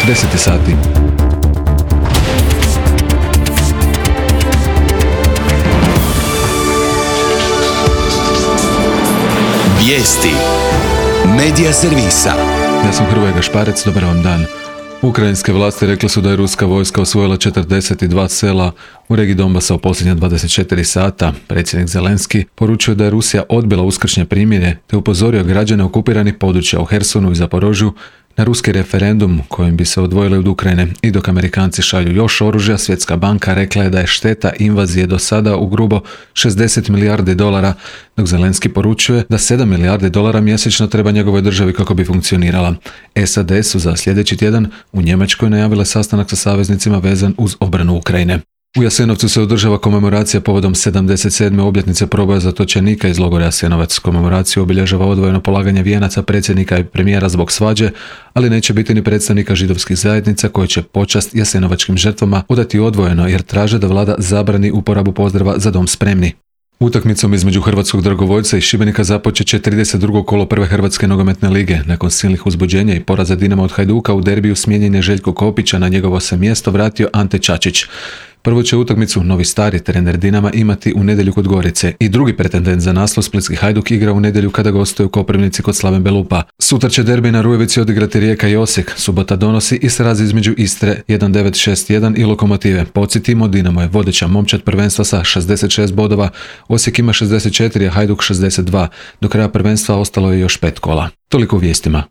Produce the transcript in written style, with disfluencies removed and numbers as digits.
10 sati. Vijesti Medija servisa. Ja sam Hrvoje Gašparec, dobar vam dan. Ukrajinske vlasti rekli su da je ruska vojska osvojila 42 sela u regiji Donbasa u posljednja 24 sata. Predsjednik Zelenski poručio da je Rusija odbila uskršnje primirje te upozorio građane okupiranih područja u Hersonu i Zaporožju na ruski referendum kojim bi se odvojili od Ukrajine. I dok Amerikanci šalju još oružja, Svjetska banka rekla je da je šteta invazije do sada u grubo $60 milijardi, dok Zelenski poručuje da $7 milijardi mjesečno treba njegovoj državi kako bi funkcionirala. SAD su za sljedeći tjedan u Njemačkoj najavile sastanak sa saveznicima vezan uz obranu Ukrajine. U Jasenovcu se održava komemoracija povodom 77. obljetnice proboja zatočenika iz logora Jasenovac. Komemoraciju obilježava odvojeno polaganje vijenaca predsjednika i premijera zbog svađe, ali neće biti ni predstavnika židovskih zajednica koji će počast jasenovačkim žrtvama odati odvojeno jer traže da vlada zabrani uporabu pozdrava Za dom spremni. Utakmicom između hrvatskog dragovoljca i Šibenika započet će 32. kolo prve Hrvatske nogometne lige. Nakon silnih uzbuđenja i poraza Dinama od Hajduka u derbiju smijenjen je Željko Kopića, na njegovo se mjesto vratio Ante Čačić. Prvo će utakmicu novi stari trener Dinama imati u nedjelju kod Gorice i drugi pretendent za naslov splitski Hajduk igra u nedjelju kada gostuje u Koprivnici kod Slaven Belupa. Sutra će derbi na Rujevici odigrati Rijeka i Osijek. Subota donosi i sraz između Istre 1961 i Lokomotive. Podsjetimo, Dinamo je vodeća momčad prvenstva sa 66 bodova, Osijek ima 64, a Hajduk 62. Do kraja prvenstva ostalo je još 5 kola. Toliko u vijestima.